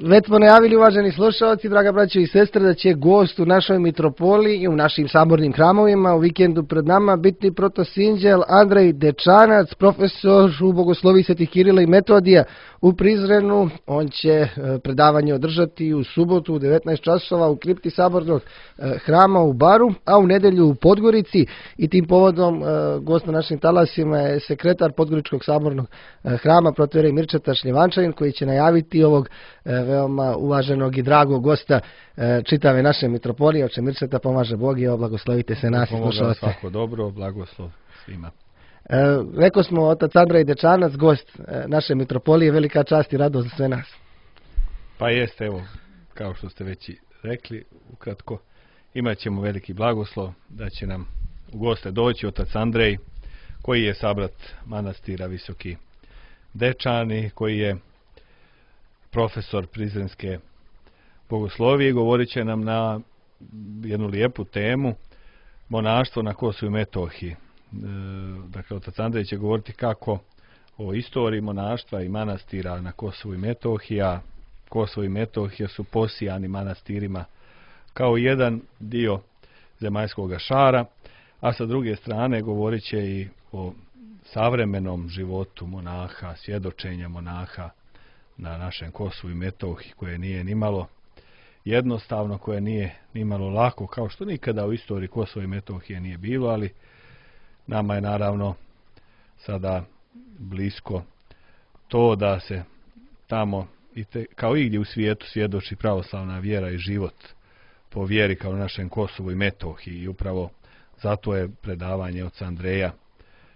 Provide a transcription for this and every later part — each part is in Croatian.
Već smo najavili, uvaženi slušalci, draga braćo i sestre, da će gost u našoj mitropoliji i u našim sabornim hramovima u vikendu pred nama biti protosinđel Andrej Dečanac, profesor u bogosloviji Svetih Kirila i Metodija u Prizrenu. On će predavanje održati u subotu u 19 časova u kripti sabornog hrama u Baru, a u nedelju u Podgorici. I tim povodom gost na našim talasima je sekretar Podgoričkog sabornog hrama, protoijerej Mirčeta Šljivančanin, koji će najaviti ovog veoma uvaženog i dragog gosta čitave naše mitropolije. Oče Mirčeta, pomaže Bog i blagoslovite se nas i slušalce. Svako dobro, blagoslov svima. Rekao smo, otac Andrej Dečanac, gost naše mitropolije, velika čast i radost za sve nas. Pa jeste, evo, kao što ste već i rekli, ukratko, imat ćemo veliki blagoslov da će nam u goste doći otac Andrej, koji je sabrat manastira Visoki Dečani, koji je profesor prizrenske bogoslovije, govorit će nam na jednu lijepu temu, monaštvo na Kosovu i Metohiji. Dakle, otac Andrej će govoriti kako o istoriji monaštva i manastira na Kosovu i Metohiji, a Kosovo i Metohija su posijani manastirima kao jedan dio zemaljskog šara, a sa druge strane govorit će i o savremenom životu monaha, svjedočenja monaha na našem Kosovu i Metohiji, koje nije nimalo jednostavno, koje nije nimalo lako, kao što nikada u istoriji Kosova i Metohije nije bilo, ali nama je naravno sada blisko to da se tamo, kao i gdje u svijetu, svjedoči pravoslavna vjera i život po vjeri kao na našem Kosovu i Metohiji. I upravo zato je predavanje oca Andreja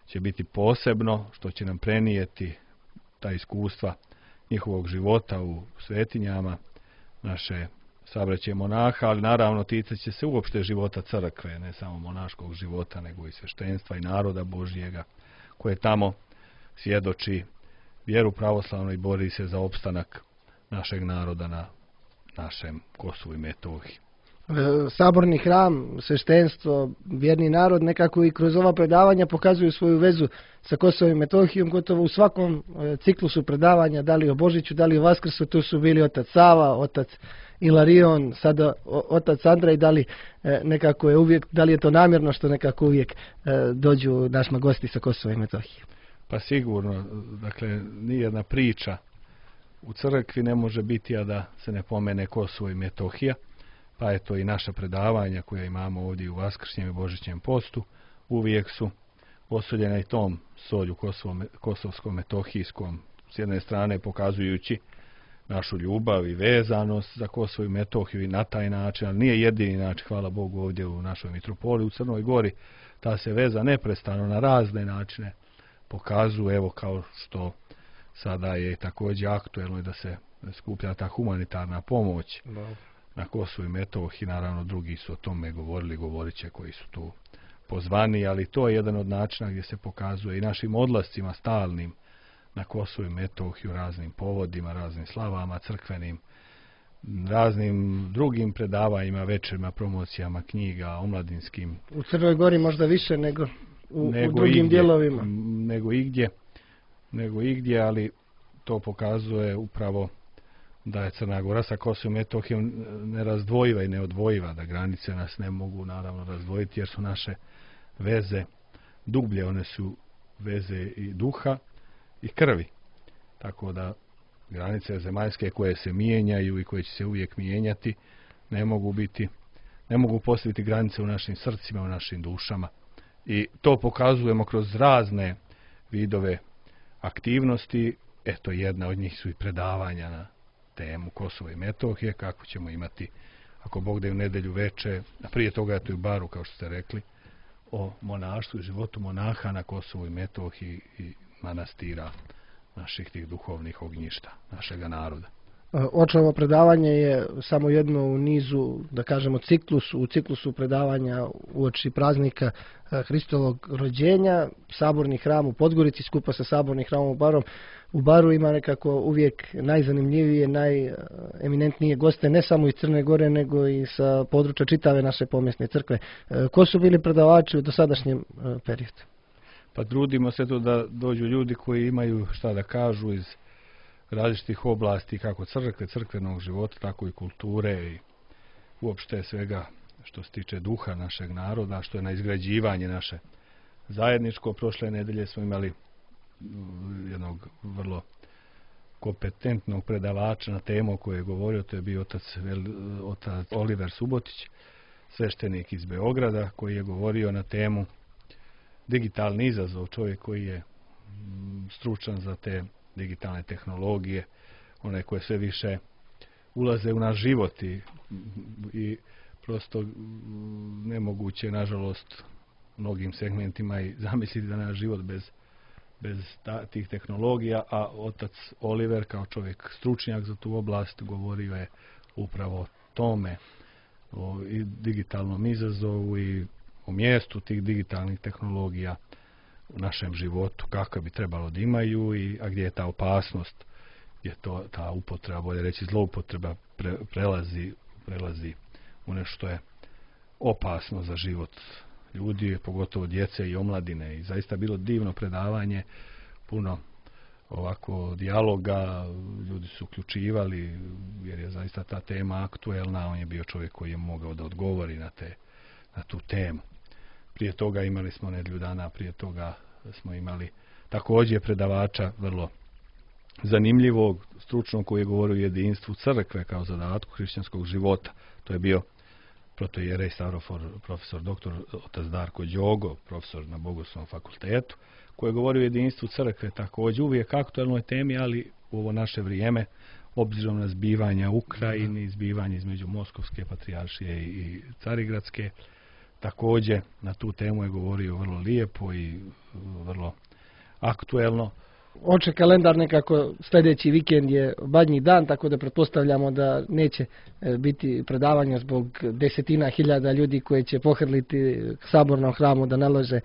će biti posebno, što će nam prenijeti ta iskustva njihovog života u svetinjama naše sabraće monaha, ali naravno ticat će se uopšte života crkve, ne samo monaškog života, nego i sveštenstva i naroda Božjega, koje tamo svjedoči vjeru pravoslavnu i bori se za opstanak našeg naroda na našem Kosovu i Metohiji. Saborni hram, sveštenstvo, vjerni narod nekako i kroz ova predavanja pokazuju svoju vezu sa Kosovom i Metohijom. Gotovo u svakom ciklusu predavanja, da li o Božiću, da li o Vaskrsu, tu su bili otac Sava, otac Ilarion, sada otac Andrej. Da li nekako je uvijek, da li je to namjerno što nekako uvijek dođu našima gosti sa Kosova i Metohije? Pa sigurno, dakle, nijedna priča u crkvi ne može biti, a da se ne pomene Kosovo i Metohija. Pa eto i naša predavanja koja imamo ovdje u Vaskršnjem i Božićnjem postu uvijek su posoljena i tom solju kosovsko-metohijskom, s jedne strane pokazujući našu ljubav i vezanost za Kosovo i Metohiju i na taj način, ali nije jedini način, hvala Bogu, ovdje u našoj mitropoliji u Crnoj Gori. Ta se veza neprestano na razne načine pokazuje, evo kao što sada je također aktuelno da se skuplja ta humanitarna pomoć na Kosovu i Metohiji. Naravno, drugi su o tome govorili, govorit će koji su tu pozvani, ali to je jedan od načina gdje se pokazuje i našim odlascima stalnim na Kosovu i Metohiju, raznim povodima, raznim slavama crkvenim, raznim drugim predavanjima, večerima, promocijama knjiga, omladinskim. U Crnoj Gori možda više nego u drugim dijelovima. Nego igdje, ali to pokazuje upravo da je Crna Gora sa Kosovom i Metohijom nerazdvojiva i neodvojiva, da granice nas ne mogu naravno razdvojiti jer su naše veze dublje, one su veze i duha i krvi. Tako da granice zemaljske koje se mijenjaju i koje će se uvijek mijenjati ne mogu postaviti granice u našim srcima, u našim dušama. I to pokazujemo kroz razne vidove aktivnosti. Eto, jedna od njih su i predavanja na temu Kosova i Metohije, kako ćemo imati, ako Bog da je u nedjelju veče, a prije toga je to i u Baru, kao što ste rekli, o monaštvu i životu monaha na Kosovu i Metohiji i manastira naših tih duhovnih ognjišta, našega naroda. Očevo predavanje je samo jedno u nizu, da kažemo, u ciklusu predavanja uoči praznika Hristovog rođenja. Saborni hram u Podgorici skupa sa sabornim hramom u Baru ima nekako uvijek najzanimljivije, najeminentnije goste, ne samo iz Crne Gore, nego i sa područja čitave naše pomjesne crkve. Ko su bili predavači u dosadašnjem periodu? Pa trudimo se to da dođu ljudi koji imaju šta da kažu iz različitih oblasti, kako crkve, crkvenog života, tako i kulture i uopšte svega što se tiče duha našeg naroda, što je na izgrađivanje naše zajedničko. Prošle nedelje smo imali jednog vrlo kompetentnog predavača na temu o kojoj je govorio, to je bio otac Oliver Subotić, sveštenik iz Beograda, koji je govorio na temu digitalni izazov, čovjek koji je stručan za te digitalne tehnologije, one koje sve više ulaze u naš život i prosto nemoguće, nažalost, mnogim segmentima i zamisliti da naš život bez tih tehnologija, a otac Oliver kao čovjek stručnjak za tu oblast govorio je upravo o tome, o digitalnom izazovu i o mjestu tih digitalnih tehnologija u našem životu, kako bi trebalo da imaju a gdje je ta opasnost, gdje to ta upotreba, bolje reći zloupotreba, prelazi u nešto je opasno za život ljudi, pogotovo djece i omladine. I zaista bilo divno predavanje, puno ovako dijaloga, ljudi su uključivali jer je zaista ta tema aktuelna, on je bio čovjek koji je mogao da odgovori na tu temu. Prije toga imali smo nedjelju dana, prije toga smo imali također predavača vrlo zanimljivog, stručnog, koji je govorio o jedinstvu crkve kao zadatku hrišćanskog života. To je bio protoijerej Stavrofor, profesor doktor otac Darko Đogo, profesor na Bogoslovnom fakultetu, koji je govorio o jedinstvu crkve, također uvijek aktualnoj temi, ali u ovo naše vrijeme, obzirom na zbivanja u Ukrajini, zbivanje između Moskovske patrijaršije i Carigradske, također na tu temu je govorio vrlo lijepo i vrlo aktuelno. Oče kalendar nekako sljedeći vikend je Badnji dan, tako da pretpostavljamo da neće biti predavanja zbog desetina hiljada ljudi koji će pohrliti sabornom hramu da nalože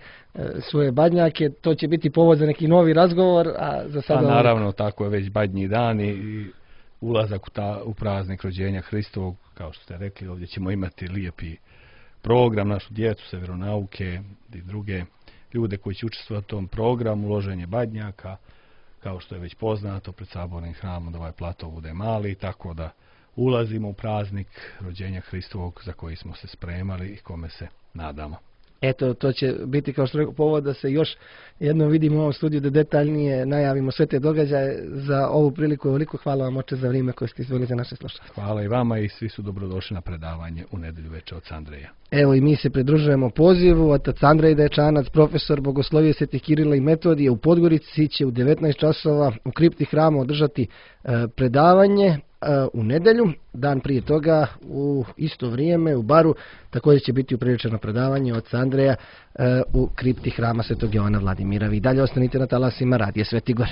svoje badnjake. To će biti povod za neki novi razgovor, a za sada... naravno, tako je već Badnji dan i ulazak u praznik rođenja Hristovog, kao što ste rekli, ovdje ćemo imati lijepi program, našu djecu sa vjeronauke i druge ljude koji će učestvovati u tom programu, uloženje badnjaka, kao što je već poznato pred sabornim hramom, da ovaj plato bude mali, tako da ulazimo u praznik rođenja Hristovog za koji smo se spremali i kome se nadamo. Eto, to će biti, kao što rekao, povod da se još jednom vidimo u ovom studiju, da detaljnije najavimo sve te događaje. Za ovu priliku veliko hvala vam, oče, za vrijeme koje ste izdvojili za naše slušalce. Hvala i vama i svi su dobrodošli na predavanje u nedjelju večer od Andreja. Evo i mi se pridružujemo pozivu. Otac Andrej Dečanac, profesor bogoslovije Svetih Kirila i Metodije u Podgorici, će u 19 časova u kripti hrama održati predavanje u nedjelju. Dan prije toga u isto vrijeme u baru također će biti upriličeno predavanje od Andreja u kripti hrama Svetog Jovana Vladimira. Vi dalje ostanite na talasima Radija Sveti Gor.